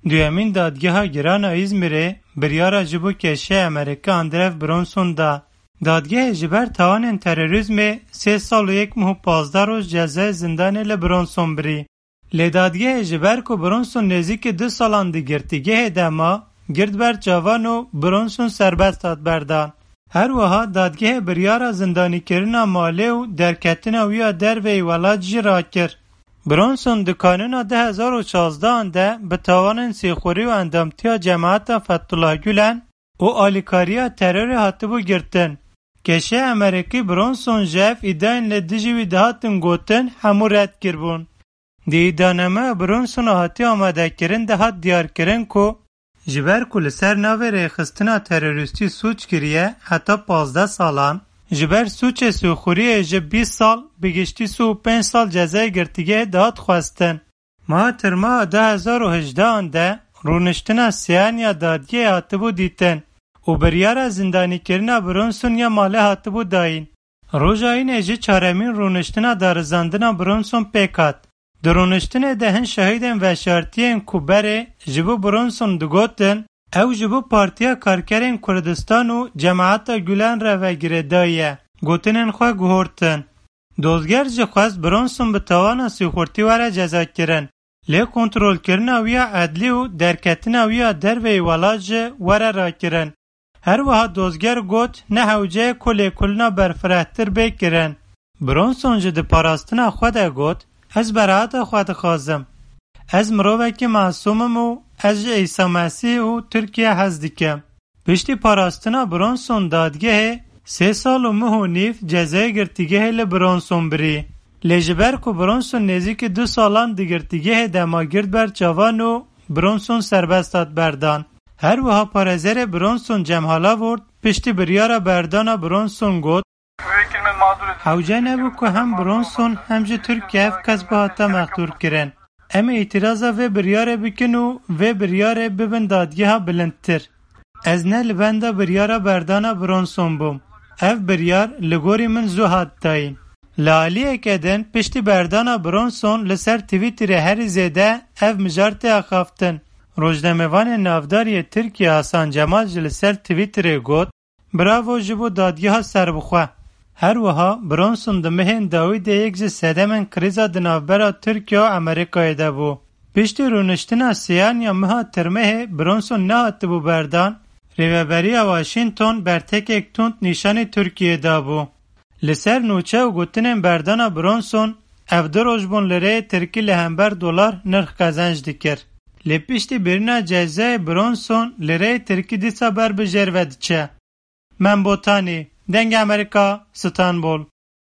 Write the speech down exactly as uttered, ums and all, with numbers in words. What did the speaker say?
Duyemîn Dadgeha Giran a Îzmîrê biryara ji bo keşê Amerîkî Andrew Bronson da. Dadgehê ji ber tawanên terorîzmê sê sal û yek meh û pazdeh roj cezayê zindanê li Bronson birî. Lê dadgehê ji ber ku Bronson nêzîkî du salan di girtîgehê de ma, girt ber çavan û Bronson serbest hat berdan. Her wiha dadgehê biryara zindanîkirina malê û derketina wî ya derveyî welat jî rakir. Bronson di kanûna du hezar û şazdehan de bi tawanên sîxurî û endamtiya cemaeta Fethullah Gulen û alîkariya terorê hatibû girtin. Keşê Amerîkî Bronson ji ev îdayên li dijî wî dihatin gotin hemû red kiribûn. Di îdanemeya Bronsona hatiye amadekirin de hat diyarkirin ku ji ber ku li ser navê rêxistina terorîstî sûc kiriye heta pazdeh salan, ji ber sûcê sîxuriyê ji bîst sal bi giştî sî û pênc sal cezayê girtîgehê dihat xwestin. Meha Tirmeha du hezar û hejdehan de rûniştina sêyan ya dadgehê hatibû dîtin û biryara zindanîkirina Bronson ya malê hatibû dayîn. Roja înê jî çaremîn rûniştina darizandina Bronson pêk hat. Di rûniştinê de hin şahidên veşartiyên ku berê ji bo Bronson digotin, ew ji bo Partiya Karkerên Kurdistan û Cemaeta Gulen re ve girêdayî ye, gotinên xwe guhortin. Dozger jî xwest Bronson bi tawana sîxurtî were cezakirin, lê kontrolkirina wî ya edlî û derketina wî ya derveyî welat jî were rakirin. Her wiha dozger got, ne hewce ye ku lêkolîna berfirehtir bê kirin. Bronson jî di parastina xwe de got, ez beraheta xwe dixwazim. Ez mirovekî masûm im û ez ji Îsa Mesîh û Tirkiye hez dikim. Piştî parastina Bronson dadgehê sê sal û meh û nîv cezayê girtîgehê li Bronson birî. Lê ji ber ku Bronson nêzîkî du salan di girtîgehê de ma girt ber çavan û Bronson serbest hat berdan. Her wiha parêzerê Bronson Cem Halavort piştî biryara berdana Bronson got, hewce nebû ku hem Bronson hem jî Tirkiye ev kes bihata mexdûr kirin. Em ê îtiraza vê biryarê bikin û vê biryarê bibin dadgeha bilindtir. Ez ne li benda biryara berdana Bronson bûm. Ev biryar li gorî min zû hat dayîn. Li aliyeke din piştî berdana Bronson li ser Twitterê herî zêde ev mijar tê axaftin. Rojnamevanê navdar yê Tirkiye Hasan Cemal jî li ser Twitterê got, bravo ji bo dadgeha serbixwe. Her wiha Bronson di mehên dawî de yek ji sedemên krîza di navbera Tirkiye û Amerîkayê de bû. Piştî rûniştina sêyan ya meha Tirmehê Bronson nehatibû berdan, Rêveberiya Washington bertekek tund nîşanî Tirkiyeyê dabû. Li ser nûçe û gotinên berdana Bronson, ev du roj bûn lireyê tirkî li hember dolar nirx qezenc dikir. Lê piştî birîna cezayê Bronson lireyê tirkî dîsa ber bi jêr ve diçe. Mem Botanî, Dengê Amerîka, Stenbol.